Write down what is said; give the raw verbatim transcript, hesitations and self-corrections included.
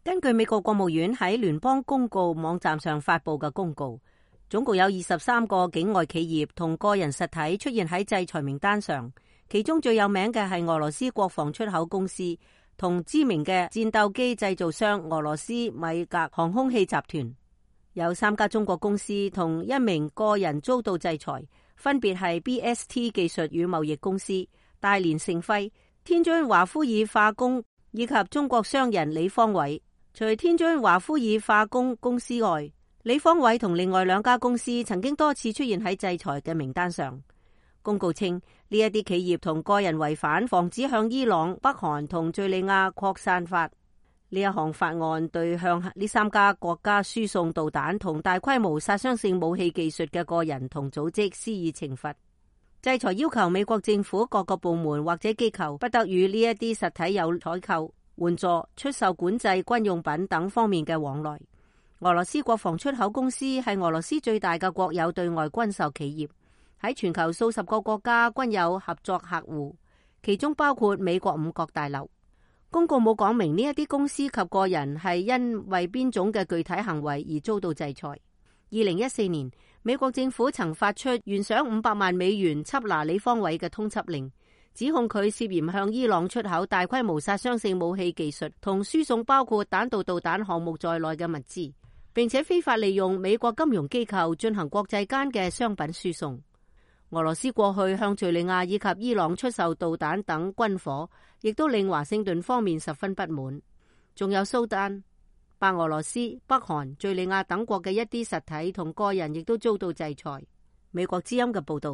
根據美國國務院喺聯邦公告網站上發布嘅公告，總共有二十三個境外企業同個人實體出現喺制裁名單上，其中最有名嘅係俄羅斯國防出口公司同知名嘅戰鬥機製造商俄羅斯米格航空器集團。有三家中國公司同一名個人遭到制裁，分別係 B S T 技術與貿易公司、大連盛輝、天津華夫爾化工以及中國商人李方偉。除天津華夫爾化工公司外，李方偉同另外兩家公司曾經多次出現喺制裁嘅名單上。公告稱，呢一啲企業同個人違反防止向伊朗、北韓同敘利亞擴散法。呢一項法案對向呢三家國家輸送導彈同大規模殺傷性武器技術嘅個人同組織施以懲罰。制裁要求美國政府各個部門或者機構不得與呢一啲實體有採購、援助、出售管制軍用品等方面嘅往來。俄羅斯國防出口公司係俄羅斯最大嘅國有對外軍售企業，喺全球數十個國家均有合作客戶，其中包括美國五角大樓。公告冇講明呢一啲公司及個人係因為邊種嘅具體行為而遭到制裁。二零一四年，美國政府曾發出懸賞五百萬美元緝拿李方偉嘅通緝令，指控佢涉嫌向伊朗出口大規模殺傷性武器技術同輸送包括彈道導彈項目在內嘅物資，並且非法利用美國金融機構進行國際間嘅商品輸送。俄羅斯過去向敘利亞以及伊朗出售導彈等軍火，亦都令華盛頓方面十分不滿。仲有蘇丹、白俄羅斯、北韓、敘利亞等國嘅一啲實體同個人亦都遭到制裁。美國之音嘅報道。